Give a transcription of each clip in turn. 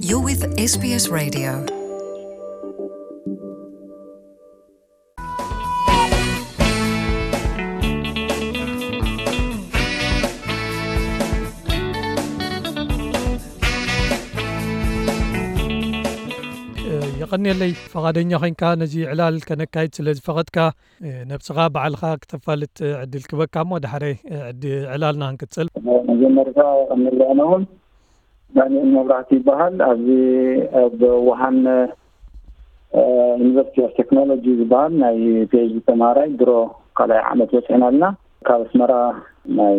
You're with S B S Radio. የቐንየለይ፣ ፈቓደኛ ኾይንካ ነዚ ዕላል ከነካይድ ስለ ዝፈቐድካ። ነብስኻ ባዕልኻ ክተፋልጥ ዕድል ክበካ እሞ፣ ዳሕረይ ዕድ ዕላልና ክንቅጽል። መጀመርታ የቐንየለይ። ኣነ እውን ዳንኤል መብራህቲ ይበሃል። ኣብዚ ኣብ ውሃን ዩኒቨርሲቲ ኦፍ ቴክኖሎጂ ዝበሃል ናይ ፒኤችዲ ተማሃራይ፣ ድሮ ካልኣይ ዓመት በፂሕና ኣለና። ካብ ኣስመራ ናይ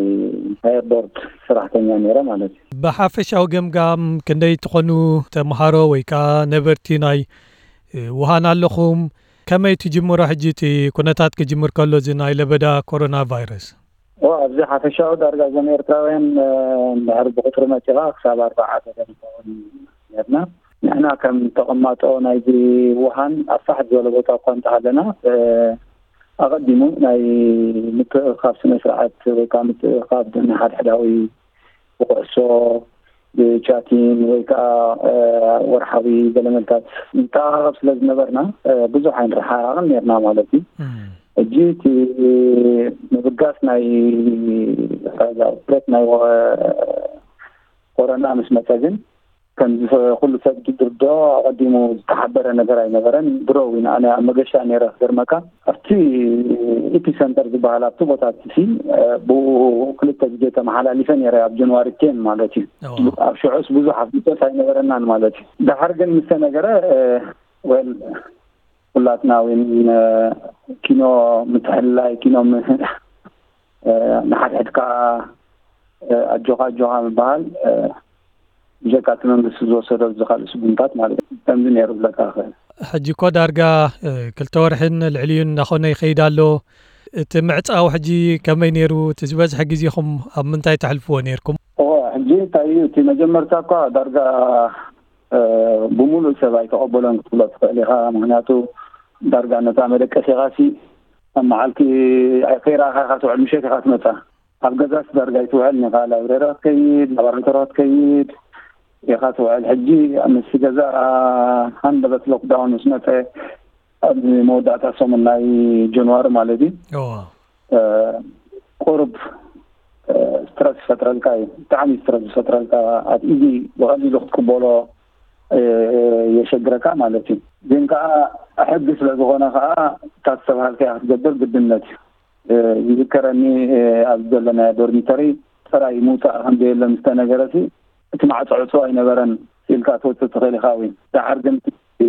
ኤርፖርት ሰራሕተኛ ነይረ ማለት እዩ። ብሓፈሻዊ ገምጋም ክንደይ ትኾኑ ተምሃሮ ወይ ከዓ ነበርቲ ናይ ውሃን ኣለኹም? ከመይ ትጅምሮ ሕጂ እቲ ኩነታት ክጅምር ከሎ እዚ ናይ ለበዳ ኮሮና ቫይረስ? ኦ፣ ኣብዚ ሓፈሻዊ ዳርጋ እዞም ኤርትራውያን፣ እ፣ እንድሕር ብቁፅሪ መፂኻ ክሳብ ኣርባዓ ገለ ንኸውን ነርና። ንሕና ከም ተቐማጦ ናይዚ ውሃን ኣብ ፋሕ ዝበለ ቦታ እኳ እንተሃለና፣ እ፣ ኣቐዲሙ ናይ ምትእኻብ ስነ ስርዓት ወይ ከዓ ምትእኻብ ንሓድሕዳዊ ብኩዕሶ፣ ብቻቲን ወይ ከዓ፣ እ፣ ወርሓዊ ገለመልታት ንተኣኻኸብ ስለ ዝነበርና፣ እ፣ ብዙሕ ኣይንረሓሓቕን ነርና ማለት እዩ። እም። ሕጂ እቲ ምብጋስ ናይ ራዛ ውፍረት ናይ ወ-፣ ኮሮና ምስ መጸ ግን ከምዚ ኩሉ ሰብ ዝርድኦ ኣቐዲሙ ዝተሓበረ ነገር ኣይነበረን። ድሮ እውን ኣነ ኣብ መገሻ ነይረ ክገርመካ። ኣብቲ ኤፒሰንተር ዝበሃል ኣብቲ ቦታ እቲ ሲ፣ እ፣ ብኡ ክልተ ግዜ ተመሓላሊፈ ነይረ ኣብ ጃንዋሪ ቴን ማለት እዩ። እዋ። ኣብ ሽዑስ ብዙሕ ኣፍልጦስ ኣይነበረናን ማለት እዩ። ደሓር ግን ምስ ተነገረ፣ እ፣ ወል ኩላትና እውን፣ እ፣ ኪኖ ምትሕልላይ፣ ኪኖ ም-፣ እ፣ ንሓድሕድካ፣ እ፣ ኣጆኻ ኣጆኻ ምበሃል፣ እ፣ ብጀካ እቲ መንግስቲ ዝወሰዶ እዚ ካልእ ስጉምታት ማለት እዩ። ከምዚ ነይሩ ክብለካ እኽእል። ሕጂ እኮ ዳርጋ፣ እ፣ ክልተ ወርሕን ልዕሊኡን እናኾነ ይኸይድ ኣሎ። እቲ ምዕጻው ሕጂ ከመይ ነይሩ? እቲ ዝበዝሐ ግዜኹም ኣብ ምንታይ ተሕልፍዎ ነይርኩም? እወ፣ ሕጂ እንታይ እዩ፣ እቲ መጀመርታ እኳ ዳርጋ፣ እ፣ ብምሉእ ሰብ ኣይተቐበሎን ክትብሎ ትኽእል ኢኻ። ምኽንያቱ ዳርጋ ነታ መደቀሲኻሲ ኣብ መዓልቲ ከይረኣኻ ኢኻ ትውዕል፣ ምሸት ኢኻ ትመጻ። ኣብ ገዛስ ዳርጋ ኣይትውዕልን ኢኻ። ላይብረሪ ክትከይድ፣ ላቦራቶሪ ክትከይድ ኢኻ ትውዕል። ሕጂ ምስቲ ገዛ ሃንደበት ሎክዳውን ምስ መጸ፣ ኣብ መወዳእታ ሰሙን ናይ ጃንዋሪ ማለት እዩ፣ እዋ። እ፣ ቁሩብ፣ እ፣ ስትረስ ይፈጥረልካ እዩ። ብጣዕሚ ስትረስ ዝፈጥረልካ፣ ኣብ ኢዚ ብቐሊሉ ክትቅበሎ፣ እ፣ የሸግረካ ማለት እዩ። ግን ከኣ ሕጊ ስለ ዝኾነ ከኣ እታ ዝተባሃልካያ ክትገብር ግድነት እዩ። እ፣ ይዝከረኒ፣ እ፣ ኣብ ዘለናዮ ዶርሚተሪ ጥራይ ምውጻእ ከም ዘየለ ምስ ተነገረሲ፣ እቲ ማዕጾ ዕጹው ኣይነበረን፣ ኢልካ ትወጽእ ትኽእል ኢኻ። ወይ ደሓር ግን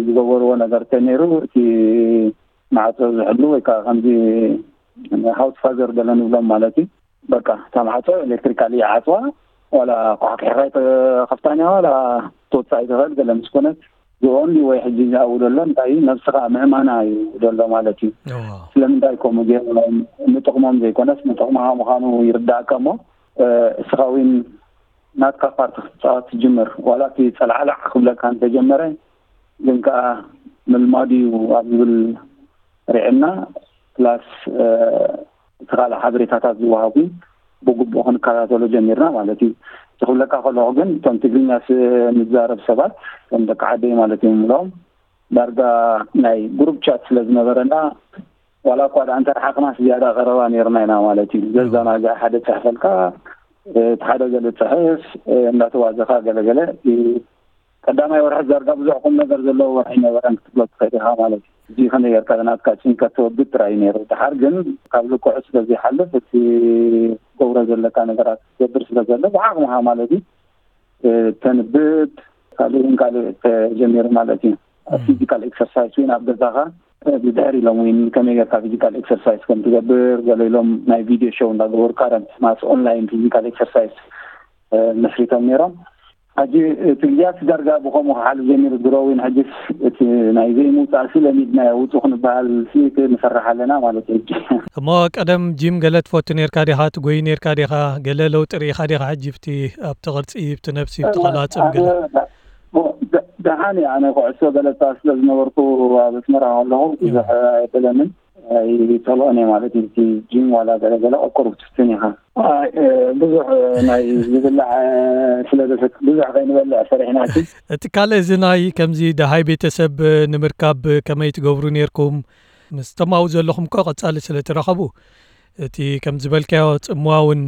ዝገበርዎ ነገር ተነይሩ፣ እቲ ማዕጾ ዝሕሉ ወይ ከዓ ከምዚ ሃውስ ፋዘር ገለ ንብሎም ማለት እዩ። በቃ እታ ማዕጾ ኤሌክትሪካሊ ይዓጽዋ፣ ዋላ ኳሕኪሕኻ ኣይትኸፍታን እያ፣ ዋላ ትወጽእ ኣይትኽእል ገለ ምስ ኮነት፣ ዝኦንሊ ወይ ሕጂ ዝኣው ዘሎ እንታይ እዩ፣ ነብስኻ ምእማና እዩ ዘሎ ማለት እዩ። እዋ። ስለምንታይ ከምኡ ገይሮም? ንጥቕሞም ዘይኮነስ ንጥቕምኻ ምዃኑ ይርዳእካ እሞ፣ እ፣ እስኻ እውን ናትካ ፓርቲ ክትጻወት ትጅምር። ዋላ እቲ ጸልዓላዕ ክብለካ እንተጀመረ፣ ግን ከኣ ምልማዱ እዩ ኣብ ዝብል ርዕና፣ ፕላስ፣ እ፣ እቲ ካልእ ሓበሬታታት ዝወሃቡ ብግቡእ ክንከታተሎ ጀሚርና ማለት እዩ። እቲ ክብለካ ከለኹ ግን፣ እቶም ትግርኛ ስ-፣ ንዛረብ ሰባት፣ እቶም ደቂ ዓደይ ማለት እዮም፣ ምሎም ዳርጋ ናይ ግሩፕ ቻት ስለ ዝነበረና፣ ዋላ እኳ ደኣ እንተረሓቕናስ ዝያዳ ቀረባ ነይርና ኢና ማለት እዩ። ዘዘናግዕ ሓደ ጽሕፈልካ፣ እ፣ እቲ ሓደ ገለ ጽሕፍ፣ እ፣ እንዳተዋዘኻ ገለገለ፣ እቲ ቀዳማይ ወርሒ ዳርጋ ብዙሕ ቁም ነገር ዘለዎ ወርሒ ኣይነበረን ክትብሎ ትኽእል ኢኻ ማለት እዩ። እዚ ከመይ ጌርካ ናትካ ጭንቀት ተወግድ ጥራይ እዩ ነይሩ። ደሓር ግን ካብ ልክዑ ስለ ዘይሓልፍ፣ እቲ ገብሮ ዘለካ ነገራት ክትገብር ስለ ዘሎ፣ ብዓቕምኻ ማለት እዩ፣ እ፣ ተንብብ፣ ካልእን ካልእ ተጀሚሩ ማለት እዩ። ኣብ እም። ፊዚካል ኤክሰርሳይዝ እውን ኣብ ገዛኻ፣ እ፣ ብድሕር ኢሎም እውን ከመይ ጌርካ ፊዚካል ኤክሰርሳይዝ ከም ትገብር፣ ገለ ኢሎም ናይ ቪድዮ ሾው እንዳገበሩ፣ ካረንት ማስ ኦንላይን ፊዚካል ኤክሰርሳይዝ፣ እ፣ መስሪቶም ነይሮም። ሕጂ እቲ ግዜያት ዳርጋ ብኸምኡ ክሓልፍ ጀሚሩ፣ ድሮ እውን ሕጂስ እቲ ናይ ዘይምውጻእሲ ለሚድናዮ፣ ውጹ ክንበሃል ሲ ንፈርሕ ኣለና ማለት እዩ። ሕጂ እሞ ቀደም ጂም ገለ ትፈቱ ኔርካ ዲኻ? ትጎይ ኔርካ ዲኻ? ገለ ለውጢ ርኢኻ ዲኻ? ሕጂ ብቲ ኣብቲ ቅርጺ፣ ብቲ ነብሲ፣ ብቲ ኣነ፣ ቀላጽም ገለ? ኣነ ደ-፣ ደ-፣ ደሓን እየ። ኣነ ኩዕሶ ገለ እጻወት ስለ ዝነበርኩ ኣብ ኣስመራ ከለኹ እም። ብዙሕ ኣይበለንን። ኣይጸልኦን እየ ማለት እዩ። እቲ ጂም ዋላ ገለገለ ቁሩብ ትፍትን ኢኻ። ኣይ፣ እ፣ ብዙሕ፣ እ፣ ናይ ዝብላዕ፣ እ፣ ስለ ዘሰክ-፣ ብዙሕ ከይንበልዕ ፈሪሕና እቲ። እቲ ካልእ እዚ ናይ ከምዚ ደሃይ ቤተሰብ ንምርካብ ከመይ ትገብሩ ነይርኩም? ምስቶም ኣብኡ ዘለኹም እኮ ቀጻሊ ስለ ትራኸቡ፣ እቲ ከም ዝበልካዮ ጽምዋ እውን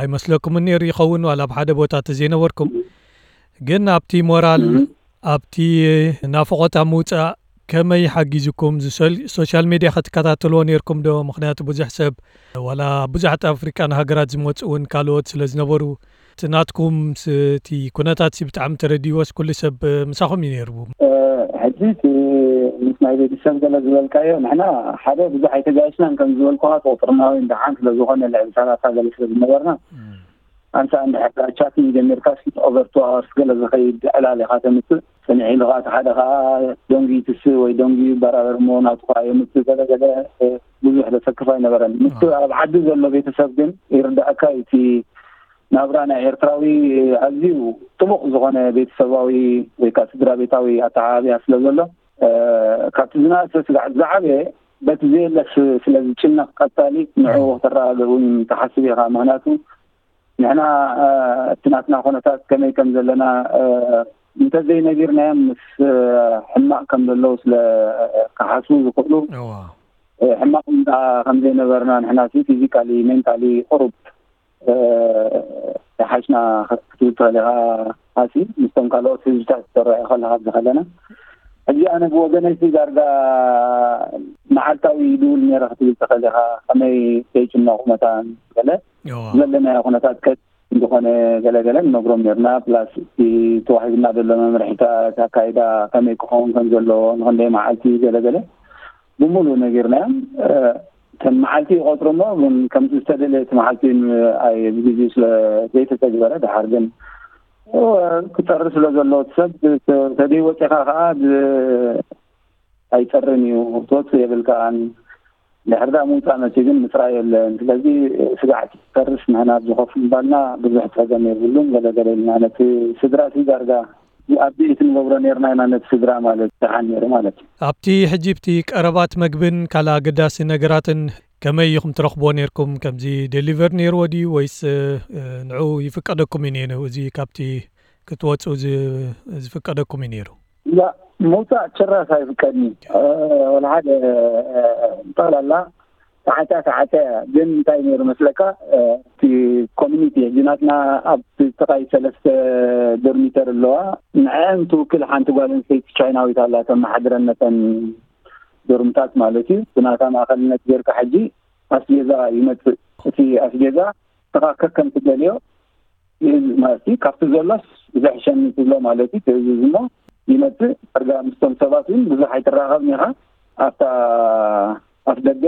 ኣይመስለኩምን ነይሩ ይኸውን፣ ዋላ ኣብ ሓደ ቦታ ተዘይነበርኩም። ግን ኣብቲ ሞራል፣ እም። ኣብቲ ናፍቖት ኣብ ምውጻእ ከመይ ሓጊዙኩም? እዚ ሶል-፣ ሶሻል ሜድያ ክትከታተልዎ ነይርኩም ዶ? ምኽንያቱ ብዙሕ ሰብ፣ ዋላ ብዙሓት ኣፍሪቃን ሃገራት ዝመጹ እውን ካልኦት ስለ ዝነበሩ፣ እቲ ናትኩም ስ-፣ እቲ ኩነታት ሲ ብጣዕሚ ተረዲዎስ ኩሉ ሰብ ምሳኹም እዩ ነይሩ? እ፣ ሕጂ እቲ ምስ ናይ ቤተሰብ ገለ ዝበልካዮ፣ ንሕና ሓደ ብዙሕ ኣይተጋየሽናን፣ ከም ዝበልኩኻ፣ ቁጽርና እውን ደሓን ስለ ዝኾነ፣ ልዕሊ ሰላሳ ገለ ስለ ዝነበርና፣ እም። ኣንሳ እንድሕር ቻቲንግ ጀሚርካስ፣ ኦቨር ቱ ኣወርስ ገለ ዝኸይድ ዕላል ኢኻ ተምጽእ። ጽንሕ ኢሉ ኸዓ፣ እቲ ሓደ ኸዓ ደንጉዩ ትስእ ወይ ደንጉዩ ይበራበር እሞ፣ ናቱ ኸዓ የምጽእ፣ ገለ ገለ፣ እ፣ ብዙሕ ዘሰክፍ ኣይነበረን። ምስቲ ኣብ ዓዲ ዘሎ ቤተሰብ ግን ይርዳእካ እዩ። እቲ ናብራ ናይ ኤርትራዊ ኣዝዩ ጥቡቕ ዝኾነ ቤተሰባዊ ወይ ከዓ ስድራ ቤታዊ ኣተዓባብያ ስለ ዘሎ፣ እ፣ ካብቲ ዝነኣሰ ስጋዕ ዝዓበየ በቲ ዘየለስ ስለ ዝጭነቕ፣ ቀጻሊ ንዕኡ፣ እም። ክተረጋግእ እውን ትሓስብ ኢኻ። ምኽንያቱ ንሕና፣ እ፣ እቲ ናትና ኩነታት ከመይ ከም ዘለና፣ እ፣ እንተዘይነጊርናዮም ምስ፣ እ፣ ሕማቕ ከም ዘለዉ ስለ ክሓስቡ ዝኽእሉ፣ እዋ። እ፣ ሕማቕ እንዳ ከም ዘይነበርና ንሕና ሲ ፊዚካሊ፣ ሜንታሊ ቁሩብ፣ እ፣ ይሓሽና ክትብል ትኽእል ኢኻ። ኣሲ ምስቶም ካልኦት ህዝብታት ክትረአ ከለኻ ኣብዚ ከለና፣ ሕጂ ኣነ ብወገነይ ሲ ዳርጋ መዓልታዊ ይድውል ነይረ ክትብል ትኽእል ኢኻ። ከመይ ከይጭነቑ መታን ገለ እዋ። ዘለናዮ ኩነታት ከ-፣ እንደኾነ ገለገለ ንነግሮም ነርና። ፕላስ እቲ ተዋሂብና ዘሎ መምርሒታት፣ ኣካይዳ ከመይ ክኸውን ከም ዘለዎ፣ ንኽንደይ መዓልቲ ገለገለ ብምሉእ ነጊርናዮም። እ፣ ከም መዓልቲ ይቆጽሩ እሞ፣ ግን ከምቲ ዝተደለየ እቲ መዓልቲ ን-፣ ኣይ፣ ብግዜኡ ስለ ዘይተተግበረ፣ ደሓር ግን፣ እ፣ ክጸሪ ስለ ዘለዎ እቲ ሰብ፣ ተ-፣ ተደይ ወጺኻ ከኣ ብ-፣ ኣይጸርን እዩ፣ ክትወጽእ የብልካን። ድሕሪ ደኣ ምውጻእ መጺኡ ግን ምጽራይ የለን። ስለዚ ስጋዕ ትፈርስ፣ ንሕና ኣብዚ ኮፍ ምባልና ብዙሕ ጸገም የብሉን፣ ገለ ገለ ኢልና ነቲ ስድራ እቲ ዳርጋ ኣብዴት ንገብሮ ነርና ኢና፣ ነቲ ስድራ ማለት ደሓን ነይሩ ማለት እዩ። ኣብቲ ሕጂ ኣብቲ ቀረባት መግብን ካልእ ኣገዳሲ ነገራትን ከመይ ኢኹም ትረኽብዎ ነርኩም? ከምዚ ዴሊቨር ነይርዎ ድዩ ወይስ፣ እ፣ ንዑ ይፍቀደኩም እዩ ነይሩ? እዚ ካብቲ ክትወጽኡ ዝ-፣ ዝፍቀደኩም እዩ ነይሩ? ላ፣ ምውጻእ ጭራሽ ኣይፍቀድን እዩ። እ፣ ወላ ሓደ፣ እ፣ ጠቕላላ ተዓጽያ፣ ተዓጽያ እያ። ግን እንታይ ነይሩ መስለካ? እ፣ እቲ ኮሚኒቲ፣ ሕጂ ናትና ኣብ ጥቓይ ሰለስተ ዶርሚተር ኣለዋ። ንዐአን ትውክል ሓንቲ ጓል ኣንስተይቲ ቻይናዊት ኣላ፣ ተመሓድረን ነተን ዶርምታት ማለት እዩ። ብናታ ማእኸልነት ጌርካ ሕጂ ኣስቤዛ ይመጽእ። እቲ ኣስቤዛ ንስኻ ከከም ትደልዮ ይእዝ-፣ ማለት እዩ። ካብቲ ዘሎስ ዝሕሸኒ ትብሎ ማለት እዩ፣ ትእዝዝ እሞ ይመጽእ። ዳርጋ ምስቶም ሰባት እውን ብዙሕ ኣይትራኸብን ኢኻ። ኣብታ ኣፍ ደገ፣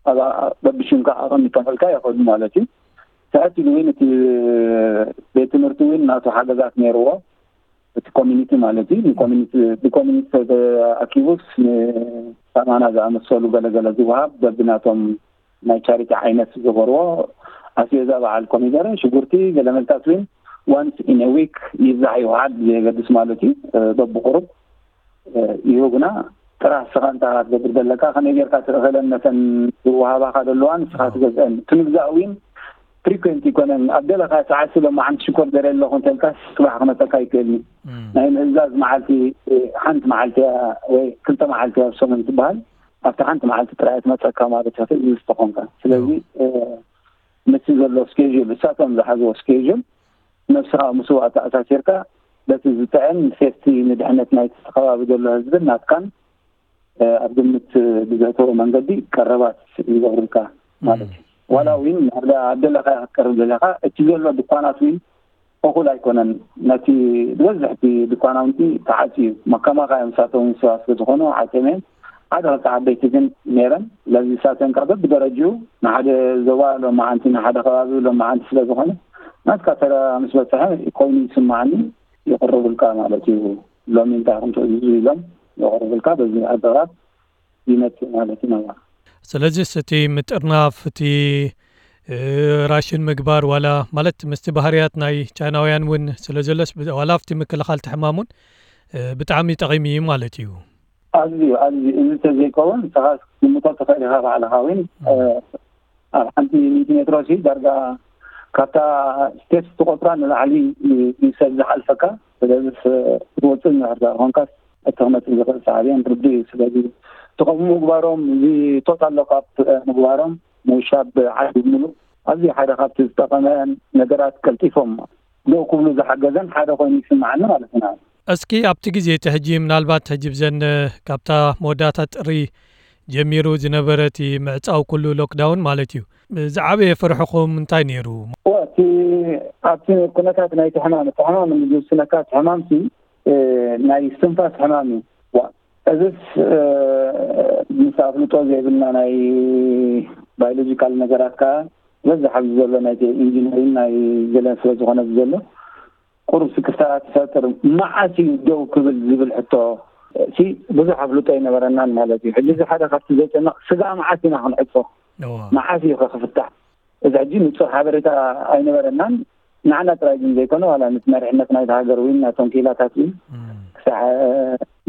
ኣብ፣ በብሽምካ ኣቐሚጦምልካ ይኸዱ ማለት እዩ። ትሕት ኢሉ እውን እቲ ቤት ትምህርቲ እውን ናቱ ሓገዛት ነይርዎ። እቲ ኮሚኒቲ ማለት እዩ። ንኮሚኒቲ፣ ብኮሚኒቲ ተኣኪቡስ ንከማና ዝኣመሰሉ ገለገለ ዝወሃብ በብናቶም ናይ ቻሪቲ ዓይነት ዝገበርዎ፣ ኣስቤዛ በዓል ኮሚደረ፣ ሽጉርቲ፣ ገለ መልታት እውን ዋንስ ኢን ዊክ ይብዛሕ ይውዓል ብዘየገድስ ማለት እዩ፣ እ፣ በብቁሩብ፣ እ፣ ይህቡና። ጥራሕ ንስኻ እንታይ ኢኻ ትገብር ዘለካ፣ ከመይ ጌርካ ትእኽለን ነተን ዝወሃባኻ ዘለዋ ንስኻ ትገዝአን። እቲ ምግዛእ እውን ፍሪኩዌንት ይኮነን። ኣብ ደለኻ ሰዓት ስለ መዓንቲ ሽኮር ደልየ ኣለኹ እንተልካ፣ ጽባሕ ክመጸካ ይክእል እዩ። እም። ናይ ምእዛዝ መዓልቲ፣ እ፣ ሓንቲ መዓልቲ እያ ወይ ክልተ መዓልቲ እያ ኣብ ሰሙን ትበሃል። ኣብታ ሓንቲ መዓልቲ ጥራይ እያ ትመጸካ ማለት እያ፣ ትእዝዝ ተኾንካ። ስለዚ፣ እም። እ፣ ነቲ ዘሎ ስኬጁል፣ እሳቶም ዝሓዝዎ ስኬጁል፣ ነብስኻ ምስኡ ኣተኣሳሲርካ፣ በቲ ዝጥዕም ሴፍቲ፣ ንድሕነት ናይቲ ከባቢ ዘሎ ህዝብን ናትካን፣ እ፣ ኣብ ግምት ብዘእተወ መንገዲ ቀረባት ይገብሩልካ ማለት እዩ። እም። ዋላ እውን ኣብ ደለኻዮ ክትቀርብ ደለኻ፣ እቲ ዘሎ ድኳናት እውን እኹል ኣይኮነን። ነቲ ዝበዝሕ እቲ ድኳናውንቲ ተዓጽዩ እዩ። መከማኻ እዮም፣ ንሳቶም እውን ሰባት ስለ ዝኾኑ ዓጽዮም እዮም። ሓደ ክልተ ዓበይቲ ግን ነይረን። ስለዚ ንሳተን ከኣ በብደረጅኡ፣ ንሓደ ዞባ ሎማዓንቲ፣ ንሓደ ከባቢ ሎማዓንቲ ስለ ዝኾነ፣ ናትካ ተራ ምስ በጽሐ ኮይኑ ይስምዓኒ፣ ይቕርቡልካ ማለት እዩ። ሎሚ እንታይ ኢኹም ትእዝዙ ኢሎም የቕርቡልካ። በዚ ኣገባብ ይመጽእ ማለት እዩ ናብራ። ስለዚስ እቲ ምጥርናፍ፣ እቲ፣ እ፣ ራሽን ምግባር፣ ዋላ ማለት ምስቲ ባህርያት ናይ ቻይናውያን እውን ስለ ዘሎስ፣ ብ-፣ ዋላ ኣብቲ ምክልኻል እቲ ሕማም እውን፣ እ፣ ብጣዕሚ ጠቒሙ እዩ ማለት እዩ። ኣዝዩ ኣዝዩ እዚ ተዘይከውን ንስኻ ክትግምቶ ትኽእል ኢኻ ባዕልኻ። ወይን ኣብ ሓንቲ ሚእቲ ሜትሮ ሲ ዳርጋ ካብታ ስቴት ትቆፅራ ንላዕሊ እዩ ሰብ ዝሓልፈካ። ስለዚ ክትወፅእ እንድሕር ደኣ ኮንካስ እቲ ክመፅእ ዝኽእል ሳዕቤን ርዱእ እዩ። ስለዚ እቲ ከምኡ ምግባሮም፣ እዚ ቶታል ሎክኣፕ ምግባሮም፣ ምውሻብ ዓዲ ሙሉእ ኣዝዩ ሓደ ካብቲ ዝጠቐመ ነገራት፣ ቀልጢፎም ደው ክብሉ ዝሓገዘን ሓደ ኮይኑ ይስምዓኒ ማለት ኢና። እስኪ ኣብቲ ግዜ እቲ ሕጂ ምናልባት ሕጂ ብዘን ካብታ መወዳእታ ጥሪ ጀሚሩ ዝነበረ እቲ ምዕጻው ኩሉ ሎክዳውን ማለት እዩ፣ ዝዓበየ ፍርሕኹም እንታይ ነይሩ? እወ፣ እቲ ኣብቲ ኩነታት ናይቲ ሕማም፣ እቲ ሕማም ንዝውስነካ እቲ ሕማም ሲ፣ እ፣ ናይ እስትንፋስ ሕማም እዩ። ዋ፣ እዝስ፣ እ፣ ምስ ኣፍልጦ ዘይብልና ናይ ባዮሎጂካል ነገራት ከኣ በዚ ኣብዚ ዘሎ ናይ ኢንጂነሪን ናይ ገለን ስለ ዝኾነ ዘሎ ቁሩብ ስክፍታ ትፈጥር። መዓስ እዩ ደው ክብል ዝብል ሕቶ ሲ ብዙሕ ኣፍልጦ ኣይነበረናን ማለት እዩ። ሕጂ እዚ ሓደ ካብቲ ዘጨንቕ ስጋ መዓስ ኢና ክንዕጾ? እዋ። መዓስ እዩ ከ ክፍታሕ? እዚ ሕጂ ንጹር ሓበሬታ ኣይነበረናን። ንዓና ጥራይ ግን ዘይኮነ ዋላ ነቲ መሪሕነት ናይቲ ሃገር እውን ናቶም ክኢላታት እውን እም። ክሳዕ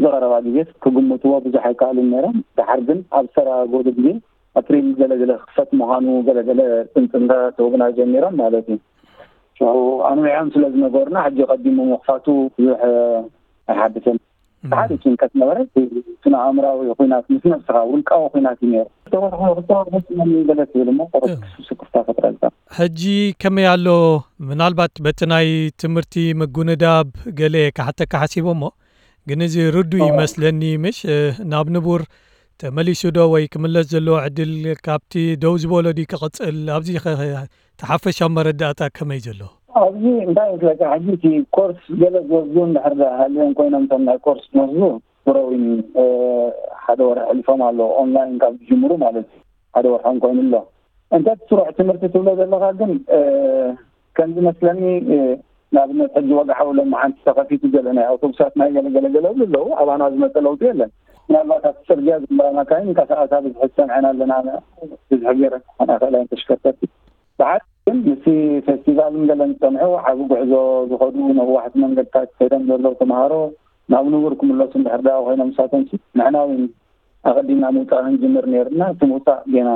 ዝቐረባ ግዜስ ክግምትዎ ብዙሕ ኣይከኣሉን ነይሮም። ደሓር ግን ኣብ ዝተረጋገሉ ግዜ ኣፕሪል ገለ ገለ ክኽፈት ምዃኑ ገለ ገለ ጽምጽምታ ክህቡና ጀሚሮም ማለት እዩ። ሽዑ ኣንዊሖም ስለ ዝነገሩና ሕጂ ቀዲሙ ምኽፋቱ ብዙሕ ኣይሓድስን። ሓደ ጭንቀት ነበረ። እቲ ስነ ኣእምራዊ ኹናት ምስ ነብስኻ ውልቃዊ ኹናት እዩ ነይሩ። ተወርሑ ክልተ ወርሑ ስለ ገለ ትብል እሞ ቁሩብ ስክፍታ ፈጥረልካ። ሕጂ ከመይ ኣሎ? ምናልባት በቲ ናይ ትምህርቲ ምጉንዳብ ገለ ክሓተካ ሓሲቦ እሞ፣ ግን እዚ ርዱእ ይመስለኒ። ምሽ ናብ ንቡር ተመሊሱ ዶ ወይ ክምለስ ዘለዎ ዕድል ካብቲ ደው ዝበሎ ድዩ ክቕጽል? ኣብዚ ኸ እቲ ሓፈሻዊ መረዳእታ ከመይ ዘሎ? ኣብዚ እንታይ ይመስለካ፣ ሕጂ እቲ ኮርስ ገለ ዝወስዱ እንድሕር ደኣ ሃልዮም ኮይኖም፣ እቶም ናይ ኮርስ ዝወስዱ ብሮዊን፣ እ፣ ሓደ ወርሒ ኣሕሊፎም ኣሎ፣ ኦንላይን ካብ ዝጅምሩ ማለት እዩ። ሓደ ወርሖም ኮይኑ ኣሎ። እንተ እቲ ስሩዕ ትምህርቲ ትብሎ ዘለኻ ግን፣ እ፣ ከም ዝመስለኒ፣ እ፣ ንኣብነት ሕጂ ወግዓዊ ሎማዓንቲ ተኸፊቱ ገለ ናይ ኣውቶቡሳት ናይ ገለ ገለ ገለ ይብሉ ኣለዉ። ኣባና ዝመጸ ለውጢ የለን። ምናልባት ኣብቲ ጽርግያ ዝምራ መካይን እንቀሳቐሳ ብዝሒ ዝሰምዐን ኣለና፣ ብዝሒ ገይረን ክኾና ይኽእላ እየን ተሽከርከርቲ። ብሓደ ግን ምስቲ ፌስቲቫልን ገለን ዝጸንሑ ዓቢ ጉዕዞ ዝኸዱ ነዋሕቲ መንገድታት ከይዶም ዘለዉ ተምሃሮ ናብ ንቡር ክምለሱ እንድሕር ደኣ ኮይኖም ንሳቶም ንሕና እውን ኣቐዲምና ምውጻእ ክንጅምር ነይርና። እቲ ምውጻእ ጌና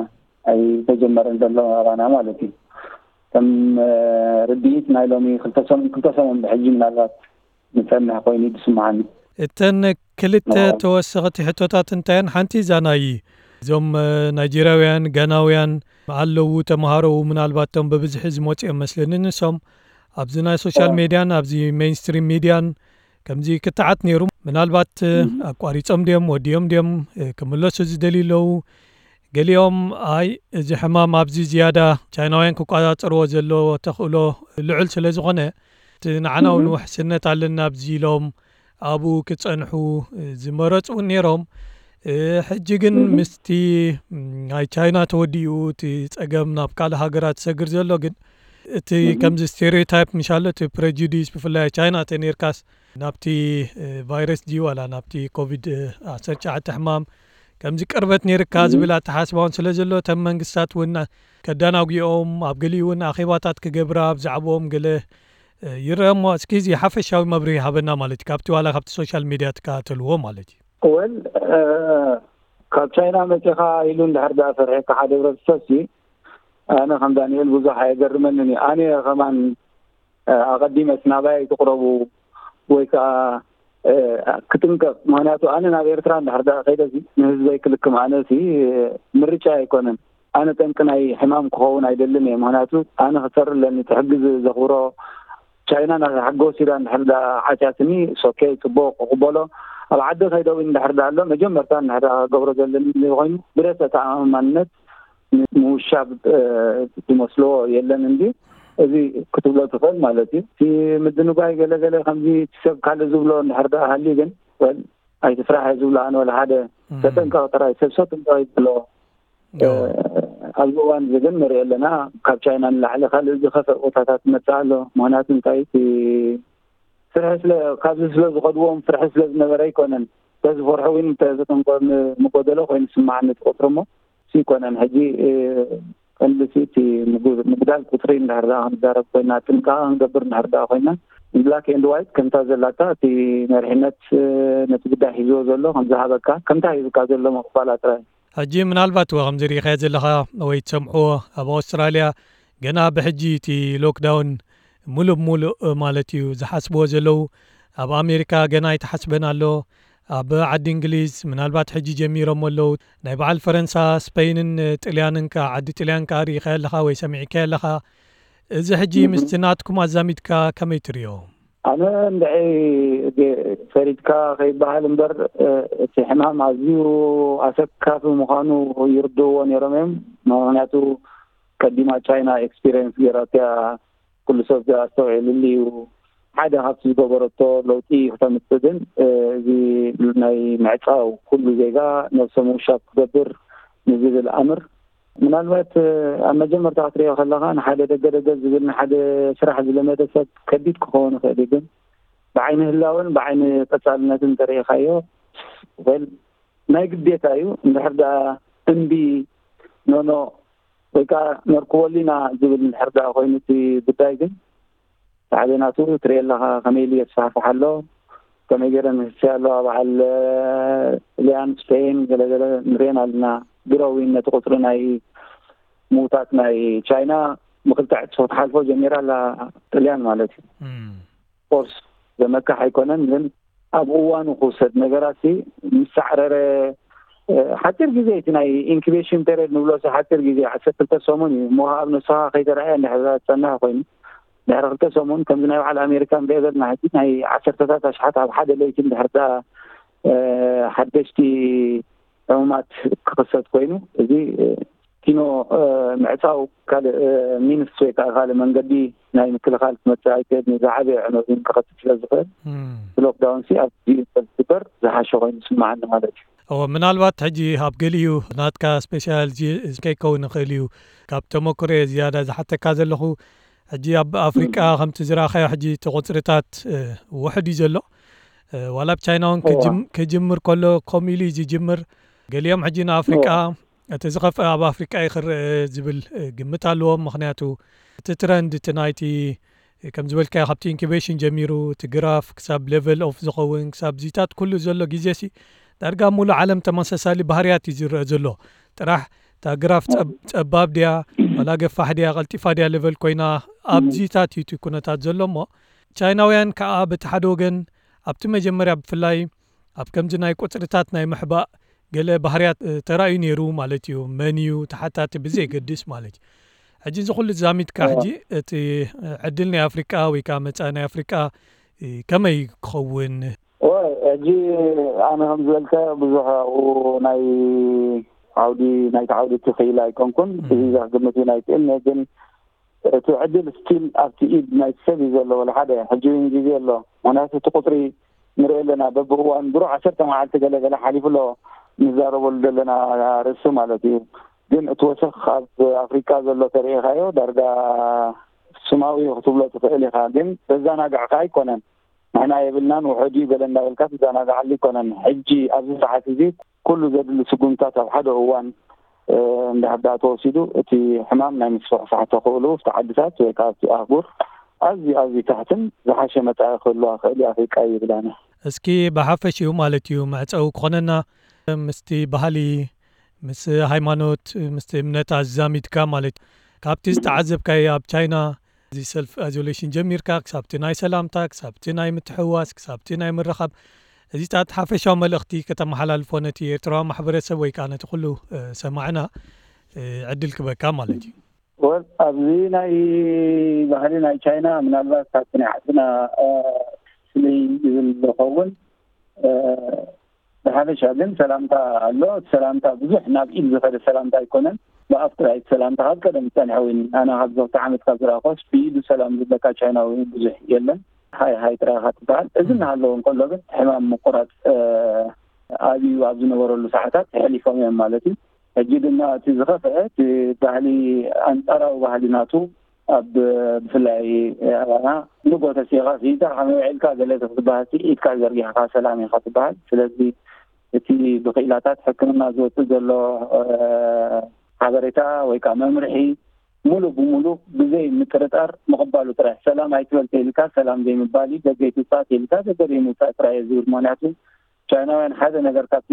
ኣይተጀመረን ዘሎ ኣባና ማለት እዩ። ከም፣ እ፣ ርድኢት ናይ ሎሚ ክልተ ሰሙን፣ ክልተ ሰሙን ብሕጂ ምናልባት ንጸንሕ ኮይኑ እዩ ዝስምዓኒ። እተን ክልተ ተወሰኽቲ ሕቶታት እንታየን? ሓንቲ እዛ ናይ እዞም፣ እ፣ ናይጄርያውያን፣ ጋናውያን ኣለዉ ተምሃሮ ምናልባት እቶም ብብዝሒ ዝመጹ እዮም መስለኒ። ንሶም ኣብዚ ናይ ሶሻል ሜድያን ኣብዚ ሜይንስትሪም ሚድያን ከምዚ ክትዓት ነይሩ። ምናልባት፣ እ፣ ኣቋሪጾም ድዮም፣ ወዲኦም ድዮም፣ እ፣ ክምለሱ ዝደልዩ ኣለዉ? ገሊኦም፣ ኣይ፣ እዚ ሕማም ኣብዚ ዝያዳ ቻይናውያን ክቆጻጸርዎ ዘለዎ ተኽእሎ ልዑል ስለ ዝኾነ፣ እቲ ንዓና እውን ውሕስነት ኣለና ኣብዚ ኢሎም ኣብኡ ክጸንሑ ዝመረጹ እውን ነይሮም። እ፣ ሕጂ ግን ምስቲ፣ ም፣ ናይ ቻይና ተወዲኡ እቲ ጸገም ናብ ካልእ ሃገራት ዝሰግር ዘሎ ግን እቲ ከምዚ ስቴሪዮታይፕ ምሻሎ እቲ ፕሬጁዲስ ብፍላይ ቻይና ተነይርካስ ናብቲ፣ እ፣ ቫይረስ ድዩ ዋላ ናብቲ ኮቪድ፣ እ፣ ዓሰርተ ትሽዓተ ሕማም ከምዚ ቅርበት ነይርካ ዝብል ኣተሓስባ እውን ስለ ዘሎ እተን መንግስታት እውን ከደናጒኦም ኣብ ገሊኡ እውን ኣኼባታት ክገብራ ብዛዕባኦም ገለ፣ እ፣ ይረአ እሞ እስኪ እዚ ሓፈሻዊ መብርሂ ሃበና ማለት እዩ። ካብቲ ዋላ ካብቲ ሶሻል ሚድያ ትከታተልዎ ማለት እዩ። ወል፣ እ፣ ካብ ቻይና መጺኻ ኢሉ እንድሕር ደኣ ፈሪሕካ ሓደ ህብረተሰብ ሲ ኣነ ከም ዳንኤል ብዙሕ ኣየገርመንን እዩ። ኣነ ከማን፣ እ፣ ኣቐዲመስ ናባይ ኣይትቕረቡ ወይ ከኣ፣ እ፣ ክጥንቀቕ። ምኽንያቱ ኣነ ናብ ኤርትራ እንድሕር ደኣ ከይደሲ ንህዝበይ ክልክም ኣነሲ፣ እ፣ ምርጫ ኣይኮነን። ኣነ ጠንቂ ናይ ሕማም ክኸውን ኣይደልን እየ። ምኽንያቱ ኣነ ክጸሪ ኣለኒ፣ እቲ ሕጊ ዝ-፣ ዘኽብሮ ቻይና ናታ ሕጊ ወሲዳ እንድሕር ደኣ ዓስያትኒ፣ ሶኬ፣ ጽቡቕ፣ ክቕበሎ። ኣብ ዓዲ ከይደዊ እንድሕር ደኣ ኣሎ፣ መጀመርታ እንድሕር ደኣ ክገብሮ ዘለኒ ኮይኑ ብረት ተኣማማንነት ን-፣ ምውሻብ፣ እ፣ ዝመስሎ የለን እንዲ እዚ ክትብሎ ትኽእል ማለት እዩ። እቲ ምድንጓይ ገለ ገለ ከምዚ እቲ ሰብ ካልእ ዝብሎ እንድሕር ደኣ ሃልዩ ግን፣ ወል፣ ኣይትፍራሕ እየ ዝብሎ ኣነ ወላ ሓደ። እም። ተጠንቀቕ ጥራይ፣ ሰብ ሰብ ጥንቀቕ ይብሎ። ዮ። እ፣ ኣብዚ እዋን እዚ ግን ንሪኦ ኣለና፣ ካብ ቻይና ንላዕሊ ካልእ ዝኸፍእ ቦታታት ይመጽእ ኣሎ። ምኽንያቱ እንታይ፣ እቲ ፍርሒ ስለ፣ ካብዚ ስለ ዝኸድዎም ፍርሒ ስለ ዝነበረ ኣይኮነን። ተዝፈርሑ እውን ተዝጥንቆ ም-፣ ምጎደሎ ኮይኑ ስማዓኒ እቲ ቁጽሪ እሞ፣ እሱ ኣይኮነን። ሕጂ፣ እ፣ ቀንዲ እቲ ምጉ- ምጉዳል ቁፅሪ እንድሕር ደኣ ክንዛረብ ኮይና፣ ጥንቃቐ ክንገብር እንድሕር ደኣ ኮይና፣ ብላክ ኤንድ ዋይት ከምታ ዘላታ እቲ መሪሕነት ነቲ ጉዳይ ሒዝዎ ዘሎ ከምዝሃበካ፣ ከምታ ሂብካ ዘሎ ምቕባላ ጥራይ። ሕጂ ምናልባት ወ ከምዚ ርኢኻዮ ዘለኻ ወይ ትሰምዕዎ፣ ኣብ ኣውስትራልያ ገና ብሕጂ እቲ ሎክዳውን ሙሉእ ብሙሉእ ማለት እዩ ዝሓስብዎ ዘለዉ። ኣብ ኣሜሪካ ገና ኣይተሓስበን ኣሎ። ኣብ ዓዲ እንግሊዝ ምናልባት ሕጂ ጀሚሮም ኣለዉ። ናይ በዓል ፈረንሳ፣ ስፐይንን ጥልያንን ከ፣ ዓዲ ጥልያን ከ ርኢኻዮ ኣለኻ ወይ ሰሚዕካዮ ኣለኻ? እዚ ሕጂ ምስቲ ናትኩም ኣዛሚድካ ከመይ ትርእዮ? ኣነ እንድዒ ፈሪድካ ከይበሃል እምበር፣ እቲ ሕማም ኣዝዩ ኣሰካፊ ምዃኑ ይርድእዎ ነይሮም እዮም። ምኽንያቱ ቀዲማ ቻይና ኤክስፒሪየንስ ገይራትያ፣ ኩሉ ሰብ ኣስተውዒሉሉ እዩ። ሓደ ካብቲ ዝገበረቶ ለውጢ ክተምፅእ ግን፣ እዚ ናይ ምዕፃው፣ ኩሉ ዜጋ ነብሰ ምውሻብ ክገብር ንዝብል ኣምር፣ ምናልባት ኣብ መጀመርታ ክትሪኦ ከለኻ ንሓደ ደገ ደገ ዝብል፣ ንሓደ ስራሕ ዝለመደ ሰብ ከቢድ ክኸውን ይኽእል እዩ። ግን ብዓይኒ ህላወን ብዓይኒ ቀፃልነትን እንተሪኢኻዮ፣ ወል ናይ ግዴታ እዩ። እንድሕር ደኣ እምቢ፣ ኖኖ፣ ወይ ከዓ ነርክበሉ ኢና ዝብል እንድሕር ደኣ ኮይኑ እቲ ጉዳይ፣ ግን ሓደ ናቱ ትሪኦ ኣለኻ ከመይ ኢሉ የስፋሕፍሕ ኣሎ፣ ከመይ ገይረን ይህስያ ኣለዋ። በዓል ጥልያን፣ ስፔን፣ ገለገለ ንሪኤን ኣለና። ግሮዊን ነቲ ቁፅሪ ናይ ምውታት ናይ ቻይና ብክልተ ዕፅፊ ክትሓልፎ ጀሚራ ኣላ፣ ጥልያን ማለት እዩ። ኮርስ ዘመካሕ ኣይኮነን፣ ግን ኣብ እዋኑ ክውሰድ ነገራት ሲ ምስ ሳዕረረ፣ ሓፂር ግዜ፣ እቲ ናይ ኢንኩቤሽን ፔሪድ ንብሎ ሲ ሓፂር ግዜ፣ ዓሰርተ ክልተ ሰሙን እዩ እሞ፣ ኣብ ነስኻ ከይተረኣየ እንድሕር ዝፀንሕ ኮይኑ፣ ድሕሪ ክልተ ሰሙን ከምዚ ናይ በዓል ኣሜሪካ ንሪኦ ዘለና ሕጂ ናይ ዓሰርተታት ኣሽሓት ኣብ ሓደ ለይቲ እንድሕር ደኣ ሓደሽቲ ዕሙማት ክኽሰት ኮይኑ፣ እዚ ኪኖ ምዕፃው ካልእ ሚንስ ወይ ከዓ ካልእ መንገዲ ናይ ምክልኻል ክመፅእ ኣይክእል፣ ዝዓበየ ዕነዊ ክኸትል ስለ ዝኽእል፣ ሎክዳውን ሲ ኣብ ግዜኡ ዝግበር ዝሓሸ ኮይኑ ይስምዓኒ ማለት እዩ። እወ፣ ምናልባት ሕጂ ኣብ ገሊኡ ናትካ ስፔሻል ከይከውን ይኽእል እዩ። ካብ ተመክሮየ ዝያዳ ዝሓተካ ዘለኹ፣ ሕጂ ኣብ ኣፍሪቃ ከምቲ ዝረኣኻዮ ሕጂ እቲ ቁፅርታት ውሕድ እዩ ዘሎ። ዋላ ኣብ ቻይና እውን ክጅምር ከሎ ከምኡ ኢሉ እዩ ዝጅምር። ገሊኦም ሕጂ ንኣፍሪቃ እቲ ዝኸፍአ ኣብ ኣፍሪቃ እዩ ክረአ ዝብል ግምት ኣለዎም። ምኽንያቱ እቲ ትረንድ፣ እቲ ናይቲ ከም ዝበልካዮ ካብቲ ኢንኩቤሽን ጀሚሩ እቲ ግራፍ ክሳብ ሌቨል ኦፍ ዝኸውን ክሳብ ዚታት ኩሉ ዘሎ ግዜ ሲ ዳርጋ ሙሉ ዓለም ተመሳሳሊ ባህርያት እዩ ዝረአ ዘሎ። ጥራሕ እታ ግራፍ ጸብ- ጸባብ ድያ ዋላ ገፋሕ ድያ ቀልጢፋ ድያ ሌቨል ኮይና ኣብዚታት እዩ እቲ ኩነታት ዘሎ እሞ ቻይናውያን ከዓ በቲ ሓደ ወገን ኣብቲ መጀመርያ ብፍላይ ኣብ ከምዚ ናይ ቁፅርታት ናይ ምሕባእ ገለ ባህርያት ተራእዩ ነይሩ ማለት እዩ። መን እዩ ተሓታቲ ብዘየገድስ ማለት እዩ። ሕጂ እዚ ኩሉ ዛሚትካ ሕጂ እቲ ዕድል ናይ ኣፍሪቃ ወይ ከዓ መፃኢ ናይ ኣፍሪቃ ከመይ ክኸውን? ሕጂ ኣነ ከም ዝበልካ ብዙሕ ኣብኡ ናይ ዓውዲ ናይቲ ዓውዲ እቲ ክኢላ ኣይኮንኩን። እዚ ዘክግምት እዩ ናይ ክእል ግን እቲ ዕድል ስቲል ኣብቲ ኢድ ናይ ሰብ እዩ ዘሎ። ወላ ሓደ ሕጂ እውን ግዜ ኣሎ። ምክንያቱ እቲ ቁፅሪ ንርኢ ኣለና። በብእዋን ድሮ ዓሰርተ መዓልቲ ገለ ገለ ሓሊፉ ኣሎ ንዛረበሉ ዘለና ርእሲ ማለት እዩ። ግን እቲ ወሰኽ ኣብ ኣፍሪካ ዘሎ ተርእኻዮ ዳርጋ ስማዊ ክትብሎ ትኽእል ኢኻ። ግን በዛናጋዕ ከዓ ኣይኮነን። ንሕና የብልናን ውሕድ እዩ ገለ እንዳበልካ ትዘናጋዓሉ ኣይኮነን። ሕጂ ኣብዚ ሰዓት እዚ ኩሉ ዘድሊ ስጉምታት ኣብ ሓደ እዋን እንድሕር ደኣ ተወሲዱ እቲ ሕማም ናይ ምስፍሕፋሕ ተኽእሉ ኣብቲ ዓድታት ወይ ከዓ ኣብቲ ኣህጉር ኣዝዩ ኣዝዩ ታሕትን ዝሓሸ መጻኢ ክህልዋ ክእል እዩ ኣፍሪቃ ይብል ኣነ። እስኪ ብሓፈሽኡ ማለት እዩ መዕጸዊ ክኾነና ምስቲ ባህሊ ምስ ሃይማኖት ምስቲ እምነት ኣዛሚድካ ማለት ካብቲ ዝተዓዘብካዮ ኣብ ቻይና እዚ ሰልፍ ኣይዞሌሽን ጀሚርካ ክሳብቲ ናይ ሰላምታ ክሳብቲ ናይ ምትሕዋስ ክሳብቲ ናይ ምርኻብ እዚታት ሓፈሻዊ መልእኽቲ ከተመሓላልፎ ነቲ ኤርትራዊ ማሕበረሰብ ወይ ከዓ ነቲ ኩሉ ሰማዕና ዕድል ክበካ ማለት እዩ። ወል ኣብዚ ናይ ባህሊ ናይ ቻይና ምናልባት ካብቲ ናይ ዓድና ፍልይ ዝብል ዝኸውን ብሓፈሻ ግን ሰላምታ ኣሎ። ሰላምታ ብዙሕ ናብ ኢድ ዝኸደ ሰላምታ ኣይኮነን። ብኣፍ ጥራይ ሰላምታ ካብ ቀደም ዝፀንሐ እውን ኣነ ካብ ዘውተ ዓመት ካብ ዝረኣኾስ ብኢዱ ሰላም ዝብለካ ቻይናዊ ብዙሕ የለን። ሃይ ሃይ ጥራይ ኢኻ ትበሃል። እዚ እናሃለወ እንከሎ ግን ሕማም ምቁራፅ ኣብዩ ኣብ ዝነበረሉ ሰዓታት ተሕሊፎም እዮም ማለት እዩ። ሕጂ ድማ እቲ ዝኸፍአ እቲ ባህሊ ኣንፃራዊ ባህሊ ናቱ ኣብ ብፍላይ ኣባና ንጎ ተሲኻ ሲኢንካ ከመይ ውዒልካ ገለ ክትበሃል ኢድካ ዘርጊሕካ ሰላም ኢኻ ትበሃል። ስለዚ እቲ ብክኢላታት ሕክምና ዝወፅእ ዘሎ ሓበሬታ ወይ ከዓ መምርሒ ሙሉ ብሙሉ ብዘይ ምጥርጣር ምቕባሉ ጥራሕ። ሰላም ኣይትበል ተይልካ ሰላም ዘይምባል እዩ። ደገ ኣይትውፃእ ተይልካ ደገ ዘይምውፃእ ጥራሕ እየ ዝብል። ምክንያቱ ቻይናውያን ሓደ ነገር ካብ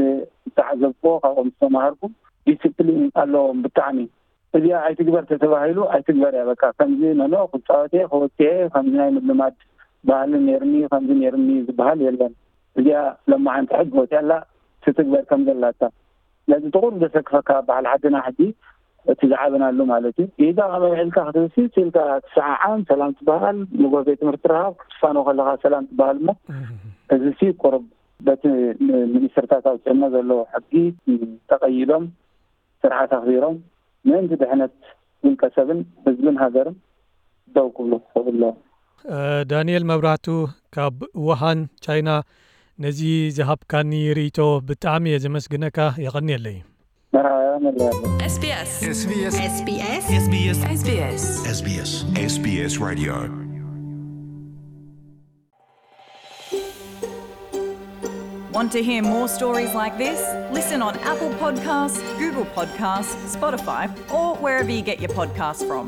ዝተዓዘብኩዎ ካብኦም ዝተማሃርኩ ዲስፕሊን ኣለዎም ብጣዕሚ። እዚኣ ኣይትግበር ተተባሂሉ ኣይትግበር እያ። በቃ ከምዚ ነኖ ክፃወት እየ ክወፅእ እየ ከምዚ ናይ ምልማድ ባህሊ ነይርኒ ከምዚ ነይርኒ ዝበሃል የለን። እዚኣ ለማዓንቲ ሕጊ ወፅያ ኣላ ትትግበር ከም ዘላታ። ስለዚ ጥቁር ዘሰክፈካ በዓል ዓድና ሕጂ እቲ ዝዓበናሉ ማለት እዩ። ኢዳ ካብ ኣውዒልካ ክትብሲ ሲልካ ትሰዓዓም ሰላም ትበሃል። ንጎ ቤት ትምህርቲ ረሃብ ክትፋኖ ከለካ ሰላም ትበሃል እሞ እዚ ሲ ቁሩብ በቲ ሚኒስትርታት ኣውፅእና ዘለዉ ሕጊ ተቐይዶም ስርዓት ኣኽቢሮም ምእንቲ ድሕነት ውልቀ ሰብን ህዝብን ሃገርን ደው ክብሉ ክኽእሉ ኣለዎም። ዳንኤል መብራህቱ ካብ ውሃን ቻይና፣ ነዚ ዝሃብካኒ ርእይቶ ብጣዕሚ እየ ዘመስግነካ። የቐንየለይ። መርሃባ መለያ ኣሎ። SBS. SBS. SBS. SBS. SBS. SBS. SBS Radio. Want to hear more stories like this? Listen on Apple Podcasts, Google Podcasts, Spotify, or wherever you get your podcasts from.